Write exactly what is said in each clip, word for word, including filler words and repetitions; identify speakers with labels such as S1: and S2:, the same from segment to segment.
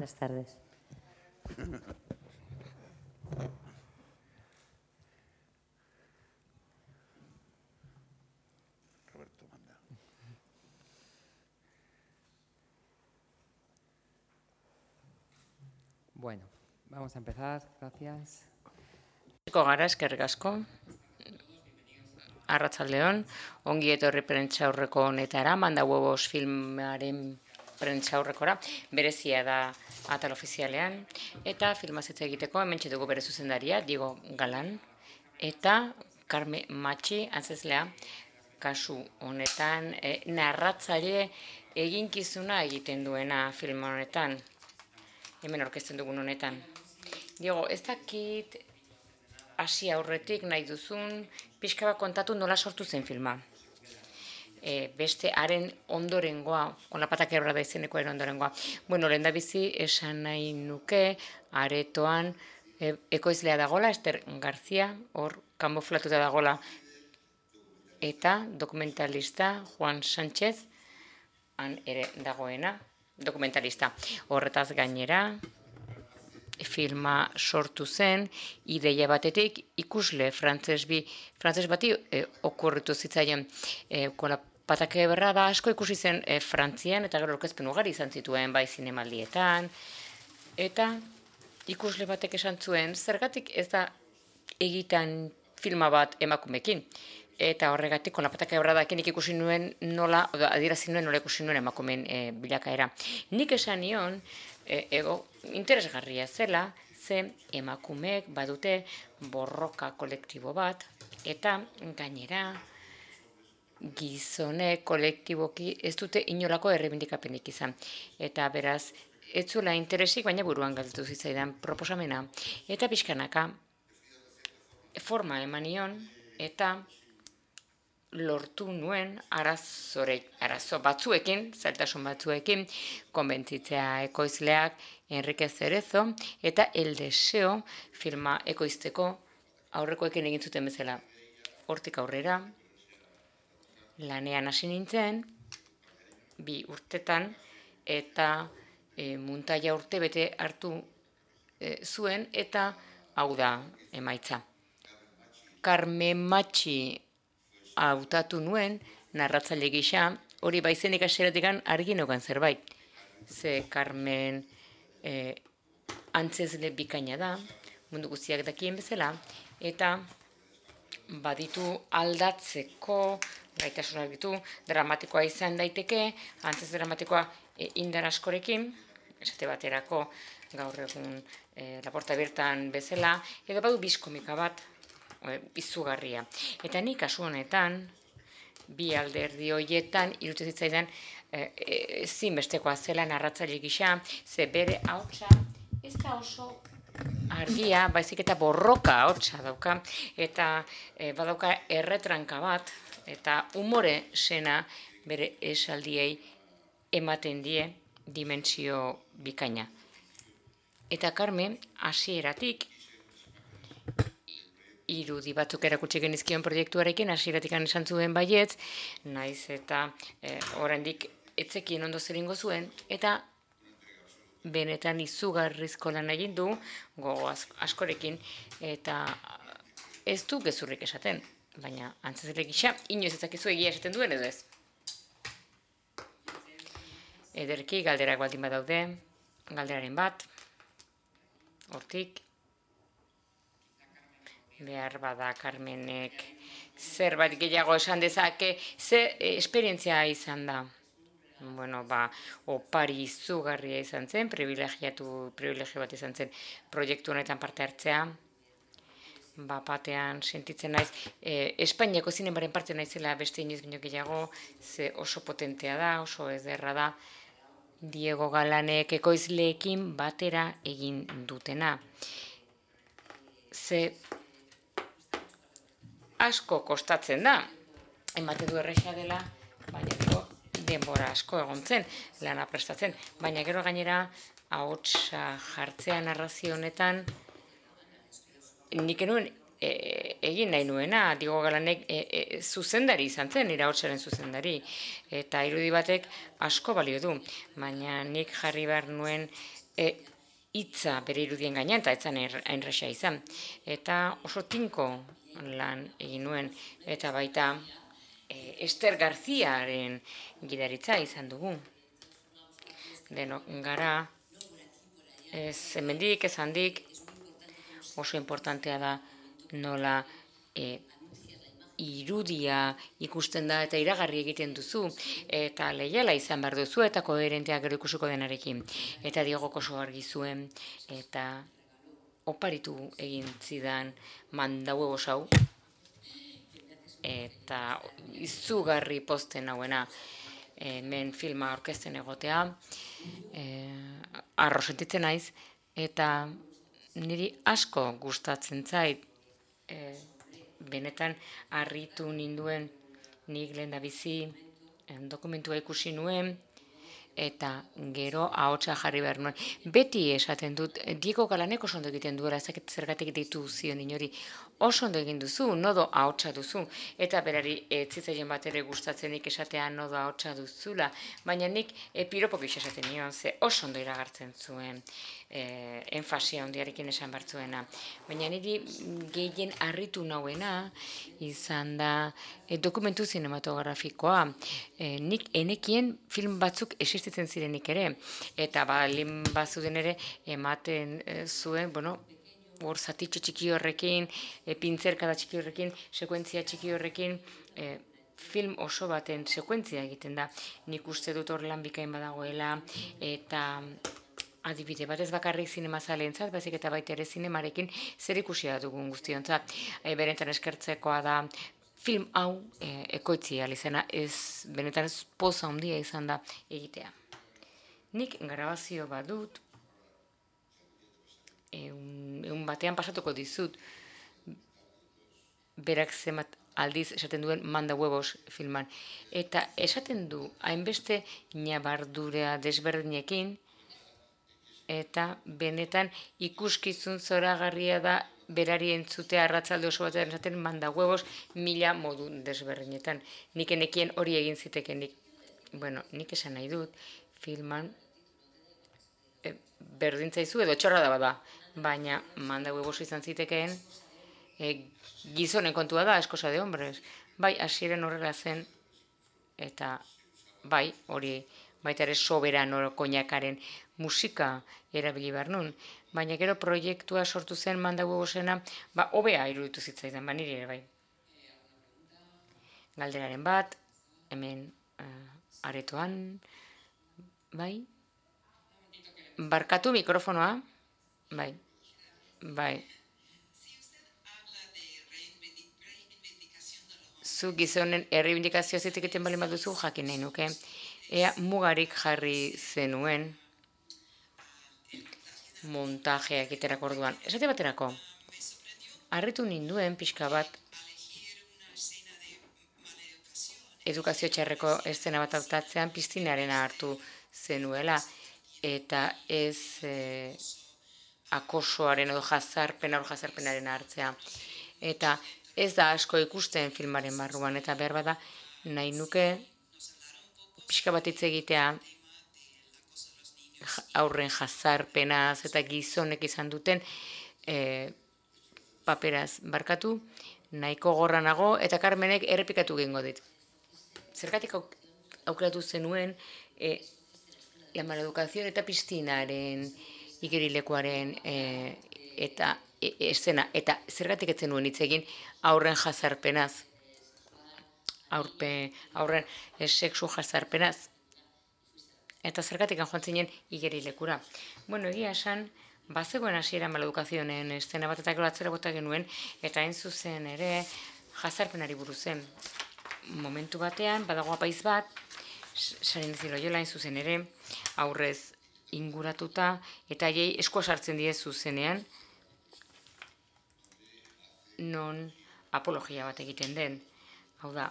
S1: Buenas tardes.
S2: Bueno, vamos a empezar. Gracias.
S3: Gara, eskerrik asko. Arratsaldeon, ongi etorri prentsaurreko honetara, Manda Huevos filmaren prentsaurrekora, berezia da atal ofizialean, eta filmazetze egiteko hementxe dugu bere zuzendaria, Diego Galan, eta Carme Matxi, antzezlea, kasu honetan, e, narratzaile eginkizuna egiten duena film honetan, hemen aurkezten dugun honetan. Diego, ez dakit hasi aurretik nahi duzun, pixka bat kontatu nola sortu zen filma. E, beste haren ondorengoa, Olapatak Ebra da izenekoaren ondorengoa. Bueno, lehen da bizi esan nahi nuke, aretoan e, ekoizlea dagola, Ester Garzia, hor kamuflatuta dagola, eta dokumentalista Juan Sánchez, han ere dagoena, dokumentalista. Horretaz gainera, filma sortu zen, ideia batetik ikusle frantses bi, frantses bati e, okurritu zitzaien e, Olapatak Ebra da asko ikusi zen e, Frantzian, eta gero aurkezpen ugari izan zituen bai zinemaldietan, eta ikusle batek esan zuen, zergatik ez da egitan filma bat emakumekin. Eta horregatik, Olapatak Ebra dakenik ikusi nuen nola, adierazi nuen nola ikusi nuen emakumeen e, bilakaera. Nik esan nion, e, ego, interesgarria zela, ze emakumeek badute borroka kolektibo bat, eta gainera gizonek kolektiboki ez dute inolako errebindikapenik izan. Eta beraz, ez zuela interesik, baina buruan galdu zitzaidan proposamena. Eta pixkanaka forma emanion, eta lortu nuen arazore, arazo batzuekin, zailtasun batzuekin, konbentzitzea ekoizleak Enrique Cerezo, eta El Deseo filma ekoizteko aurrekoekin egin zuten bezala. Hortik aurrera, lanean hasi nintzen, bi urtetan, eta e, muntaia urte bete hartu e, zuen, eta hau da emaitza. Carme Matxi hautatu nuen, narratzaile gisa, hori baizenik hasieratik argi neukan zerbait. Ze Carmen e, antzezle bikaina da, mundu guztiak dakien bezala, eta baditu aldatzeko gaitasunak ditu, dramatikoa izan daiteke, antzez dramatikoa e, indar askorekin, esate baterako gaur egun e, Laporta bertan bezala, edo badu bizkomika bat, e, izugarria. Eta nik kasu honetan, bi alderdi horietan, iruditzen zitzaidan, e, e, zinbestekoa zela narratzaile gisa, ze bere ahotsa ez da oso argia, baizik eta borroka ahotsa dauka, eta e, badauka erretranka bat, eta umore sena bere esaldiei ematen die dimentsio bikaina. Eta Carme, hasieratik, irudi batzuk erakutsi genizkion proiektuarekin, hasieratik esan zuen baietz, naiz eta e, oraindik etzekien ondo zeringo zuen, eta benetan izugarrizko lan egin du, gogo askorekin, eta ez du gezurrik esaten, baina antzezle gisa, inoiz ezakizu egia esaten duen edo ez. Ederki, galderak baldin badaude, galderaren bat, hortik, behar bada Carmenek zerbait gehiago esan dezake, ze esperientzia izan da. Bueno, ba, opari izugarria izan zen, privilegiatu, privilegio bat izan zen proiektu honetan parte hartzea. Ba, batean sentitzen naiz, e, Espainiako zinemaren parte naizela beste inoiz baino gehiago, ze oso potentea da, oso ederra da, Diego Galanek ekoizleekin batera egin dutena. Ze asko kostatzen da, ematen du erresa dela, baina gero denbora asko egon zen, lana prestatzen, baina gero gainera ahotsa jartzea narrazio honetan, nik enuen e, egin nahi nuena, Diego Galanek e, e, zuzendari izan zen, nire ahotsaren zuzendari, eta irudi batek asko balio du, baina nik jarri behar nuen hitza bere irudien gainean, eta etzan hainresa izan. Eta oso tinko lan egin nuen, eta baita Ester Garziaren gidaritza izan dugu. Denok gara, ez hemendik, ez handik, oso importantea da nola irudia ikusten da eta iragarri egiten duzu, eta leiala izan behar duzu, eta koherenteak gero ikusiko denarekin. Eta Diegok oso argi zuen, eta oparitu egin zidan mandaue hau, eta izugarri posten hauena hemen filma orkesten egotea, arro sentitzen naiz, eta niri asko gustatzen zait, benetan harritu ninduen nik lehendabizi dokumentua ikusi nuen, eta gero ahotsa jarri behar nuen. Beti esaten dut, Diego Galanek oso ondo egiten duela, ezaket zergatik ditu zion inori, oso ondo egin duzu, nodo ahotsa duzu, eta berari etzitzaien bat ere gustatzenik esatea nodo ahotsa duzula, baina nik piropok esaten nion, ze oso ondo iragartzen zuen, enfasia hondiarekin esan bartzuena. Baina niri gehien harritu nauena izan da dokumentu zinematografikoa. Nik enekien film batzuk existitzen zirenik ere, eta balin bazuden ere ematen zuen, bueno, hor zatitxo txiki horrekin, pintzerkada txiki horrekin, sekuentzia txiki horrekin, film oso baten sekuentzia egiten da. Nik uste dut hor lan bikain badagoela, eta adibide bat ez bakarrik zinemazaleentzat, baizik eta baita ere zinemarekin zer ikusia dugun guztiontzat. Berentan eskertzekoa da film hau ekoitzi alizena, ez benetan ez poza handia izan da egitea. Nik grabazio bat dut, egun batean pasatuko dizut, berak zemat aldiz esaten duen manda huevos filman. Eta esaten du, hainbeste nabardurea desberdinekin, eta benetan ikuskizun zoragarria da berari entzutea arratzalde oso batean esaten manda huevos mila modu desberdinetan. Nik enekien hori egin zitekenik. Bueno, nik esan nahi dut, filman berdintzaizu edo txorra da bada, baina manda huevos izan zitekeen gizonen kontua da, eskosa de hombres. Bai, hasieren horrela zen, eta bai, hori baita ere soberano koinakaren musika erabili behar nun. Baina gero proiektua sortu zen manda huevosena, ba, hobea iruditu zitzaidan, ba, niri ere bai. Galderaren bat, hemen aretoan, bai. Barkatu mikrofonoa, bai, bai. Zu gizonen erreibindikazioa zitik egiten bali baduzu jakin nahi nuke. Ea mugarik jarri zenuen montajea egiterako orduan. Esate baterako, harritu ninduen pixka bat edukazio txarreko eszena bat hautatzean piztinarena hartu zenuela, eta ez akosoaren edo jazarpena hor jazarpenaren hartzea. Eta ez da asko ikusten filmaren barruan, eta behar bada nahi nuke pixka bat hitz egitea aurren jazarpenaz eta gizonek izan duten paperaz barkatu, nahiko gorra nago, eta Carmenek errepikatu egingo dit. Zergatik aukeratu zenuen la maleducación eta piztinaren igerilekuaren eta eszena, eta zergatik etzen nuen hitz egin aurren jazarpenaz, aurren sexu jazarpenaz, eta zergatik joan zinen igerilekura. Bueno, egia esan, bazegoen hasiera maledukazionen eszena bat eta gero atzera bota genuen, eta hain zuzen ere jazarpenari buruzen. Momentu batean, badago apaiz bat, Sarin Ziloiola hain zuzen ere, aurrez inguratuta, eta haiei eskua sartzen die zuzenean, non apologia bat egiten den. Hau da,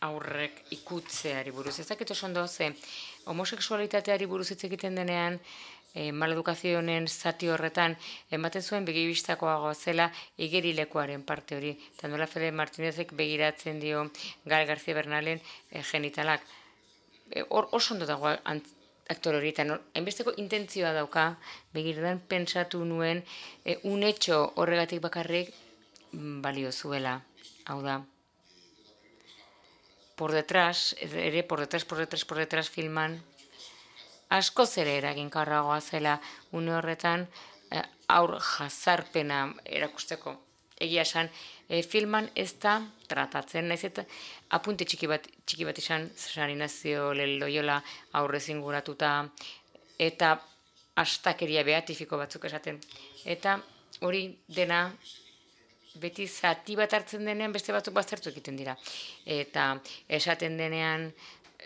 S3: aurrek ikutzeari buruz. Ez dakit oso ondo ze, homoseksualitateari buruz hitz egiten denean, maledukazionen zati horretan, ematen zuen begibistakoago zela igerilekuaren parte hori. Eta nola Fede Martinezek begiratzen dio Gael García Bernalen genitalak. Oso ondo dago aktore hori, eta hainbesteko intentzioa dauka, begirdan pentsatu nuen, e, unetxo horregatik bakarrik balio zuela, hau da. Por detrás, ere, por detrás, por detrás, por detrás filman, askoz ere eraginkarragoa zela une horretan eh, aur jazarpena erakusteko. Egia esan, eh, filman ez da tratatzen, naiz eta apunte txiki bat, txiki bat izan, San Inazio Loyola aurrez inguratuta, eta astakeria beatifiko batzuk esaten. Eta hori dena beti zati bat hartzen denean beste batzuk baztertu egiten dira. Eta esaten denean,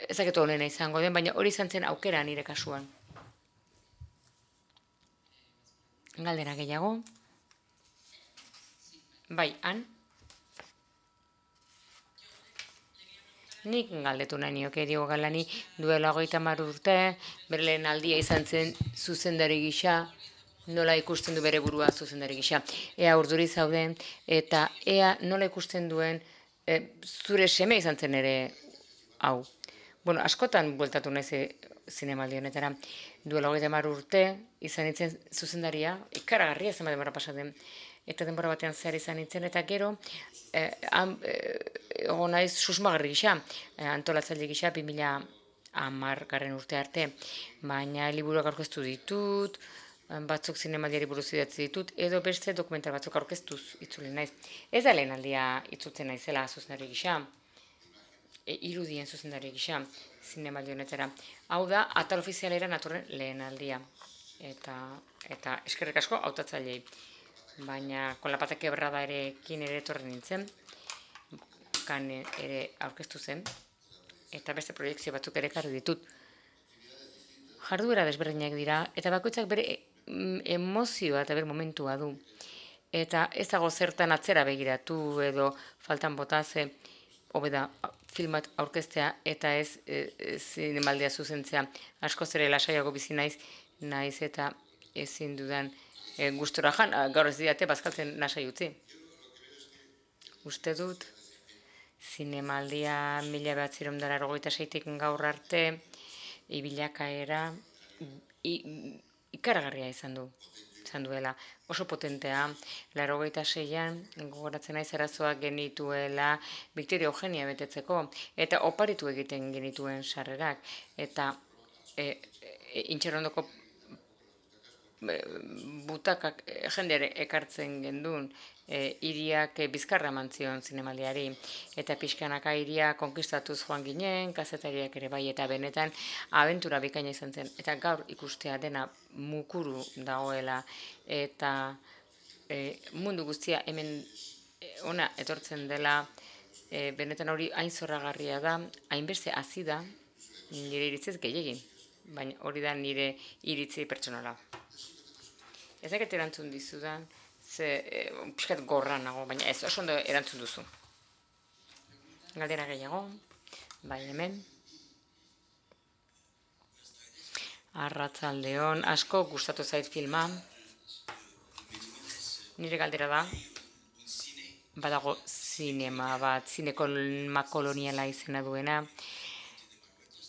S3: ezaketu honena izango den, baina hori izan zen aukera nire kasuan. Galdera gehiago. Bai, han? Nik galdetu nahi nioke Diego Galani duela hogeita hamar urte, bere lehen aldia izan zen zuzendari gisa, nola ikusten du bere burua zuzendari gisa. Ea urduri zauden, eta ea nola ikusten duen e, zure seme izan zen ere hau. Bueno, askotan bueltatu naiz zinemaldi honetara. Duela hogeita hamar urte izan nintzen zuzendaria, ikaragarria zenbat denbora pasatzen. Eta denbora batean zehar izan nintzen, eta gero, eh, ego naiz susmagarri gisa, eh, antolatzaile gisa, bi mila hamar garren urte arte, baina liburuak aurkeztu ditut, batzuk zinemaldiari buruz idatzi ditut, edo beste dokumental batzuk aurkeztuz itzuli naiz. Ez da lehen aldia itzutzen naizela zuzendari gisa, e, irudien zuzendari gisa, zinemaldi honetara. Hau da, atal ofizialera natorren lehen aldia. Eta, eta eskerrik asko hautatzailei. Baina con la pata quebrada erekin ere etorri nintzen, kan ere aurkeztu zen, eta beste proiektzio batzuk ere ekarri ditut. Jarduera desberdinak dira, eta bakoitzak bere emozioa eta bere momentua du. Eta ez dago zertan atzera begiratu edo faltan botaze, hobeda filmat aurkeztea eta ez zinemaldia zuzentzea. Askoz ere lasaiago bizi naiz, naiz eta ezin dudan E, gustora jan, gaur ez diate bazkaltzen nasai utzi. Uste dut, zinemaldia mila behatziehun eta laurogeita seitik gaur arte, ibilakaera ikaragarria izan du, izan duela. Oso potentea, laurogeita seian, gogoratzen naiz arazoak genituela Victoria Eugenia betetzeko, eta oparitu egiten genituen sarrerak, eta e, e, intxerrondoko butakak jendere ekartzen gendun, e, iriak e, bizkarra mantzion zinemaldiari, eta pixkanaka iria konkistatuz joan ginen, kazetariak ere bai, eta benetan abentura bikaina izan zen, eta gaur ikustea dena mukuru dagoela, eta e, mundu guztia hemen e, ona etortzen dela, e, benetan hori hain zorragarria da, hainbeste hazi da, nire iritzez gehiagin, baina hori da nire iritzi pertsonala. Ezaket erantzun dizudan, ze e, pixkat gorra nago, baina ez, oso ondo erantzun duzu. Galdera gehiago, bai hemen. Arratzaldeon, asko gustatu zait filma. Nire galdera da, badago zinema bat, zinema koloniala izena duena,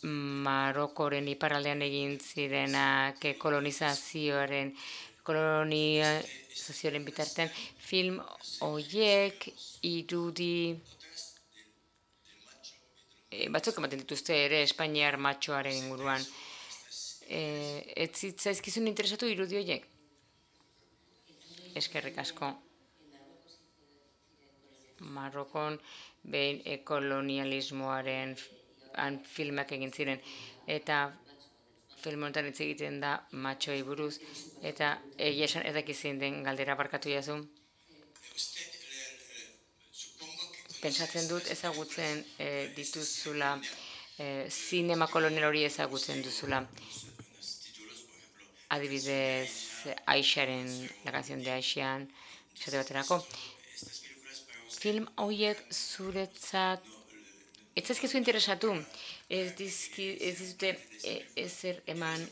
S3: Marokoren iparraldean egin zirenak kolonizazioaren kolonizazioaren bitartean, film horiek irudi e, batzuk ematen dituzte ere Espainiar matxoaren inguruan. E, ez zitzaizkizun interesatu irudi horiek? Eskerrik asko. Marokon behin kolonialismoaren filmak egin ziren, eta film honetan hitz egiten da matxoei buruz, eta egia esan ez dakizien den galdera barkatu jazu. Pentsatzen dut ezagutzen e, dituzula, e, zinema kolonial hori ezagutzen duzula. Adibidez, Aisharen, la canción de Aishan, esate baterako. Film horiek zuretzat ez zaizkizu interesatu, ez dizute ezer eman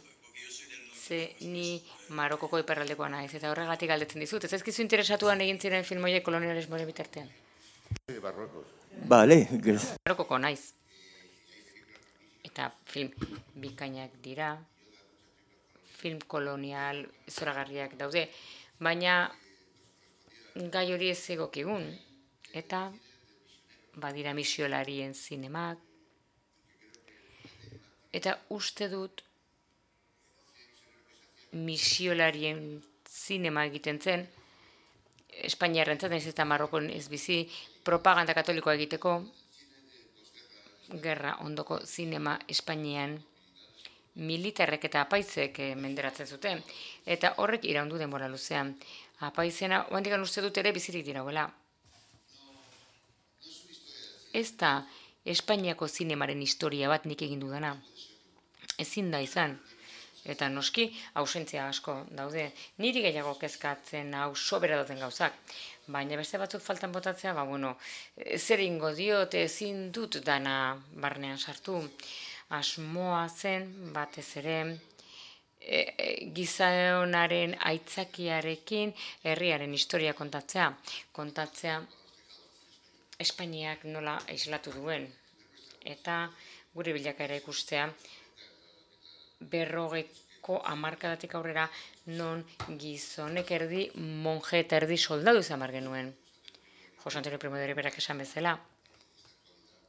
S3: ze ni Marokoko iparraldekoa naiz, eta horregatik galdetzen dizut. Ez zaizkizu interesatuan egin ziren film horiek kolonialismoaren bitartean?
S1: Bale.
S3: Marokoko naiz. Eta film bikainak dira. film kolonial zoragarriak daude, baina gai hori ez egokigun, eta badira misiolarien zinemak, eta uste dut misiolarien zinema egiten zen, Espainiarrentzat, nahiz eta Marrokon ez bizi, propaganda katolikoa egiteko, gerra ondoko zinema Espainian militarrek eta apaizek menderatzen zuten, eta horrek iraundu denbora luzean. Apaizena, oandikan uste dut ere bizirik dirauela. Ez da Espainiako zinemaren historia bat nik egin dudana. Ezin da izan. Eta noski, ausentzia asko daude. Niri gehiago kezkatzen hau sobera dauden gauzak. Baina beste batzuk faltan botatzea, ba, bueno, zer ingo diot, ezin dut dana barnean sartu. Asmoa zen, batez ere, e, e, gizaonaren aitzakiarekin herriaren historia kontatzea. Kontatzea Espainiak nola islatu duen. Eta gure bilakaera ikustea, berrogeiko hamarkadatik aurrera non gizonek erdi monje eta erdi soldadu izan bar genuen. Jose Antonio Primo de Riverak esan bezala,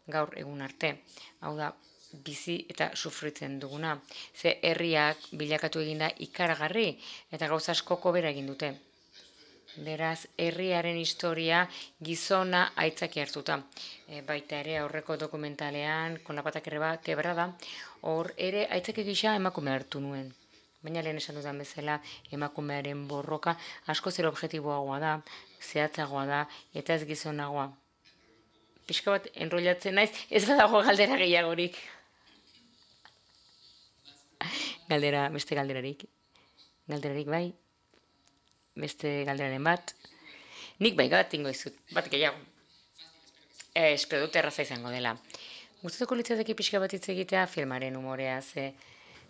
S3: gaur egun arte, hau da, bizi eta sufritzen duguna. Ze herriak bilakatu eginda ikaragarri eta gauza askoko bera egin dute. Beraz, herriaren historia gizona aitzaki hartuta. E, baita ere aurreko dokumentalean, kon la pata quebrada, hor ere aitzaki gisa emakume hartu nuen. Baina lehen esan dudan bezala, emakumearen borroka asko zer objektiboagoa da, zehatzagoa da, eta ez gizonagoa. Pixka bat enrollatzen naiz, ez badago galdera gehiagorik. Galdera, beste galderarik. Galderarik bai. Beste galderaren bat. Nik bai bat ingo izut, bat gehiago. E, espero dut erraza izango dela. Gustatuko litzateke pixka bat hitz egitea filmaren umorea, ze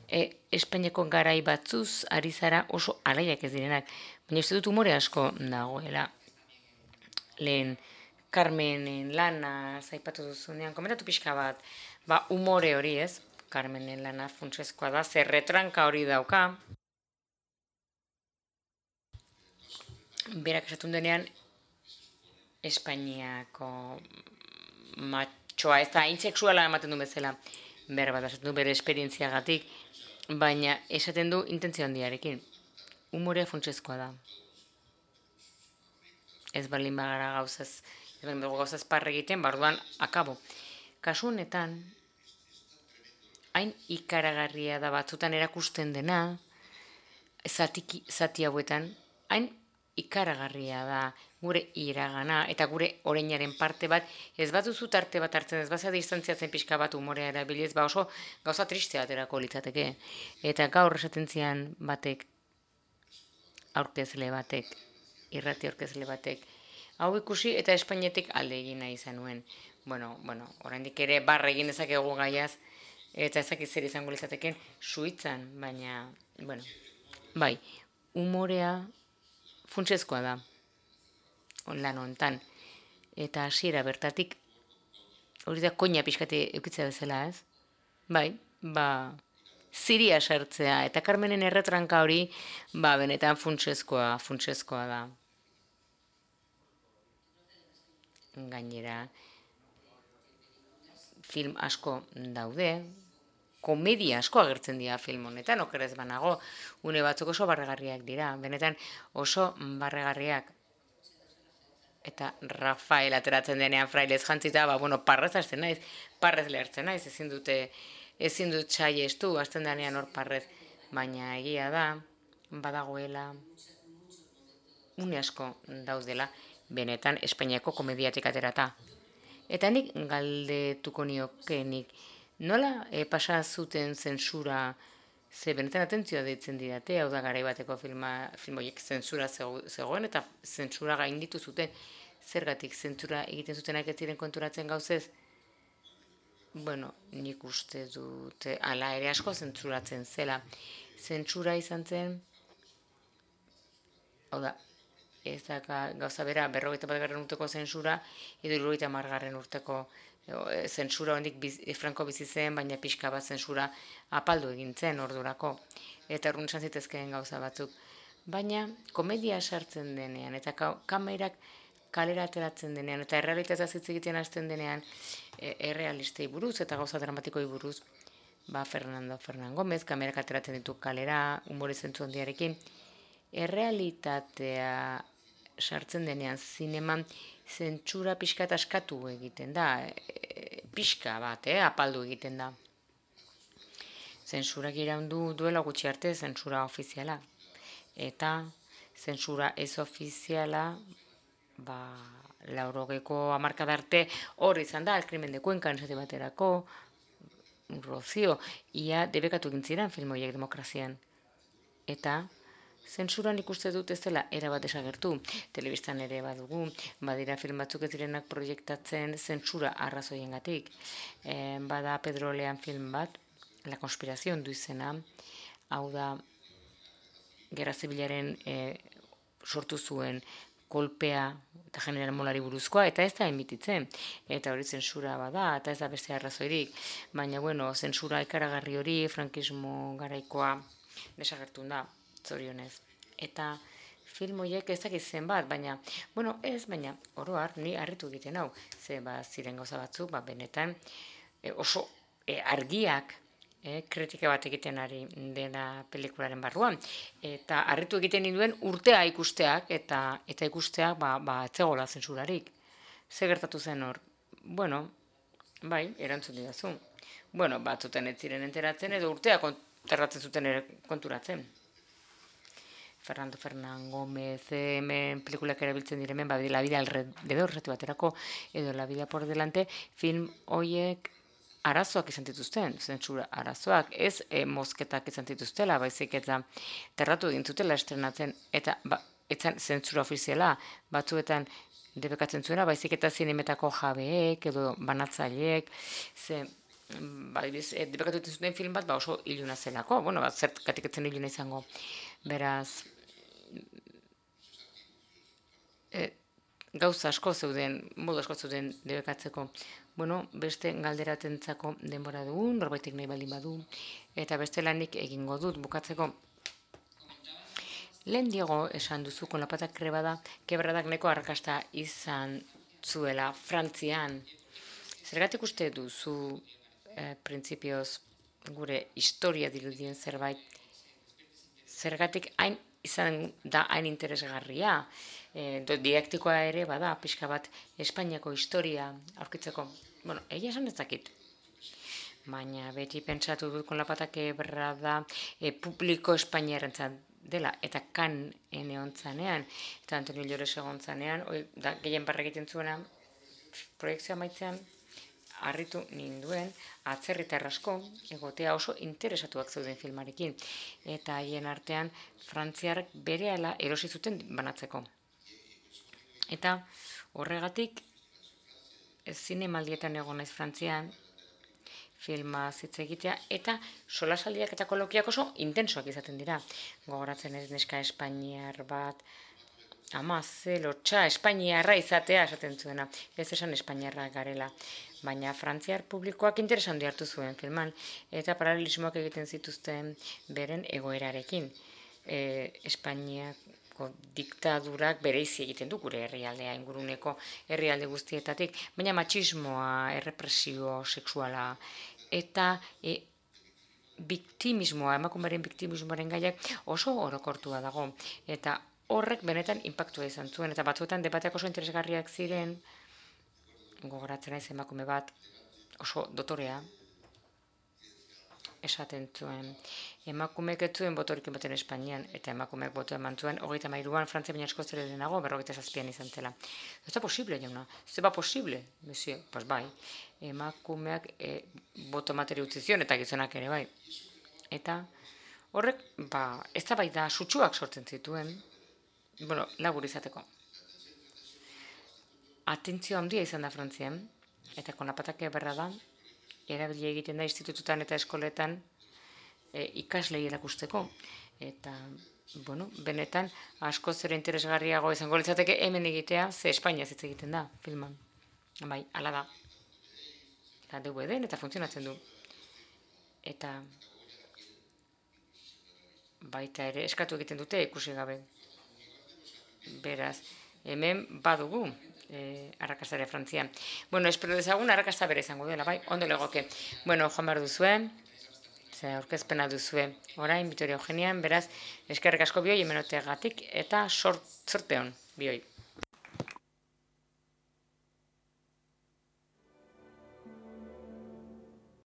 S3: e, Espainiako garai batzuz ari zara oso alaiak ez direnak, baina uste dut umore asko dagoela. Lehen Carmenen lana zaipatu duzunean, komentatu pixka bat, ba umore hori ez, Carmenen lana funtsezkoa da, zer retranka hori dauka. Berak esatun denean, Espainiako matxoa, ez da, hain sexuala ematen du bezala, behar bat esaten du bere esperientziagatik, baina esaten du intentzio handiarekin. Umorea funtsezkoa da. Ez balin bagara gauzaz, ez balin bago gauzaz parre egiten, barduan akabo. Kasu honetan, hain ikaragarria da batzutan erakusten dena, zati, zati hauetan, hain ikaragarria da gure iragana eta gure orainaren parte bat, ez bat duzu tarte bat hartzen, ez bazea distantziatzen pixka bat umorea erabiliz, ba oso gauza tristea aterako litzateke. Eta gaur esaten zian batek, aurkezle batek, irrati aurkezle batek, hau ikusi eta Espainetik alde egin nahi izan nuen. Bueno, bueno, oraindik ere barra egin dezakegu gaiaz, eta ezak zer izango litzateken suitzan, baina, bueno, bai, umorea funtsezkoa da, lan honetan, eta hasiera bertatik, hori da koina pixkati eukitzea bezala, ez? Bai, ba, ziria sartzea, eta Carmenen erretranka hori, ba, benetan funtsezkoa, funtsezkoa da. Gainera, film asko daude, komedia asko agertzen dira film honetan, okerez banago, une batzuk oso barregarriak dira, benetan oso barregarriak. Eta Rafael ateratzen denean frailez jantzita, ba, bueno, parrez hasten naiz, parrez lehertzen naiz, ezin dute, ezin dut saiestu, hasten denean hor parrez, baina egia da, badagoela, une asko daudela, benetan Espainiako komediatik aterata. Eta nik galdetuko niokenik, nola e, pasa zuten zentsura, ze benetan atentzioa deitzen didate, hau da garai bateko filma, film horiek zentsura zegoen, eta zentsura gainditu zuten, zergatik zentsura egiten zutenak ez ziren konturatzen gauzez? Bueno, nik uste dute, ala ere asko zentsuratzen zela. Zentsura izan zen, hau da, ez da gauza bera, berrogeita bat garren urteko zentsura, edo hirurogeita hamargarren urteko zentsura hondik Franco bizi zen, baina pixka bat zentsura apaldu egin zen ordurako. Eta urrun esan zitezkeen gauza batzuk. Baina komedia sartzen denean, eta kamerak kalera ateratzen denean, eta errealitatea hitz egiten hasten denean, errealistei buruz eta gauza dramatikoi buruz, ba Fernando Fernán Gómez, kamerak ateratzen ditu kalera, humore zentzu handiarekin, errealitatea sartzen denean zineman zentsura pixka eta askatu egiten da, e, pixka bat, eh, apaldu egiten da. Zentsurak iraundu duela gutxi arte zentsura ofiziala. Eta zentsura ez ofiziala, ba, laurogeko hamarkada arte hor izan da, El crimen de Cuenca, esate baterako, Rocío, ia debekatu egin ziren film horiek demokrazian. Eta zentsuran ikuste dut ez dela erabat desagertu. Telebistan ere badugu, badira film batzuk ez direnak proiektatzen zentsura arrazoiengatik. E, bada Pedro Lean film bat, La Conspiración du izena, hau da Gerra Zibilaren e, sortu zuen kolpea eta General Molari buruzkoa, eta ez da emititzen. Eta hori zentsura bada, eta ez da beste arrazoirik. Baina, bueno, zentsura ikaragarri hori, frankismo garaikoa desagertu da, zorionez. Eta film horiek ez dakit zenbat, baina, bueno, ez, baina, oroar, ni harritu egiten hau. Ze, ba, ziren gauza batzuk, ba, benetan, e, oso e, argiak, E, kritika bat egiten ari dena pelikularen barruan. Eta harritu egiten ninduen urtea ikusteak, eta eta ikusteak ba, ba, etzegola zentsurarik. Ze gertatu zen hor? Bueno, bai, erantzun didazu. Bueno, batzuten ez ziren enteratzen, edo urtea konterratzen zuten ere konturatzen. Fernando Fernán Gómez, hemen pelikulak erabiltzen diremen, ba, La vida alrededor, zati baterako, edo La vida por delante, film hoiek arazoak izan dituzten, zentsura arazoak, ez e, mozketak izan dituztela, baizik eta terratu egin zutela estrenatzen, eta ba, etzan zentsura ofiziala, batzuetan debekatzen zuena, baizik eta zinemetako jabeek, edo banatzaileek, ze, ba, e, debekatu egiten zuten film bat, ba, oso iluna zelako, bueno, ba, zertkatik etzen iluna izango, beraz, e, gauza asko zeuden, modu asko zeuden debekatzeko. Bueno, beste galderatentzako denbora dugu, norbaitek nahi baldin badu, eta beste lanik egingo dut bukatzeko. Lehen Diego esan duzu, con la pata krebada, kebradak neko arrakasta izan zuela Frantzian. Zergatik uste duzu, eh, printzipioz, gure historia dirudien zerbait, zergatik hain izan da hain interesgarria, e, didaktikoa ere bada, pixka bat Espainiako historia aurkitzeko. Bueno, egia esan ez dakit. Baina beti pentsatu dut con la pata quebrada e, publiko espainiarrentzat dela, eta kan ene ontzanean, eta Antonio Llores egon zanean, oi, da, gehien barra egiten zuena, proiektzioa maitzean, harritu ninduen, atzerritar asko, egotea oso interesatuak zeuden filmarekin, eta haien artean frantziarrek berehala erosi zuten banatzeko. Eta horregatik, zinemaldietan egon naiz Frantzian, filma hitz egitea, eta solasaldiak eta kolokiak oso intensoak izaten dira. Gogoratzen ez neska espainiar bat, ama, ze lotxa, espainiarra izatea esaten zuena, ez esan espainiarra garela. Baina frantziar publikoak interesan hartu zuen filman, eta paralelismoak egiten zituzten beren egoerarekin. E, Espainiako diktadurak bereizi egiten du gure herrialdea, inguruneko herrialde guztietatik, baina matxismoa, errepresio sexuala, eta e, biktimismoa, emakumeren biktimismoaren gaiak oso orokortua dago, eta horrek benetan inpaktua izan zuen, eta batzuetan debateak oso interesgarriak ziren, gogoratzen naiz emakume bat, oso dotorea, esaten zuen. Emakumeek ez zuen botorik ematen Espainian, eta emakumeek boto eman zuen, hogeita hamairuan Frantzia baina askoz ere lehenago, berrogeita zazpian izan zela. Ez da posible, jauna. Ez da posible, monsieur. Pues bai, emakumeak e, boto emateri utzi zion, eta gizonak ere bai. Eta horrek, ba, ez da bai da, sutsuak sortzen zituen, bueno, labur izateko. Atentzio handia izan da Frantzian, eta konapatak berra da, erabili egiten da institututan eta eskoletan e, ikaslei erakusteko. Eta, bueno, benetan, asko zer interesgarriago izango litzateke hemen egitea, ze Espainia hitz egiten da, filman. Bai, hala da. da D V D-en eta funtzionatzen du. Eta baita ere eskatu egiten dute ikusi gabe. Beraz, hemen badugu eh, arrakastare Frantzian. Bueno, espero dezagun arrakasta bere izango duela, bai, ondo legoke. Bueno, joan behar duzue, ze aurkezpena duzue orain, Vitoria Eugenian, beraz, eskerrik asko bioi hemenoteagatik eta sort, sorte hon bioi.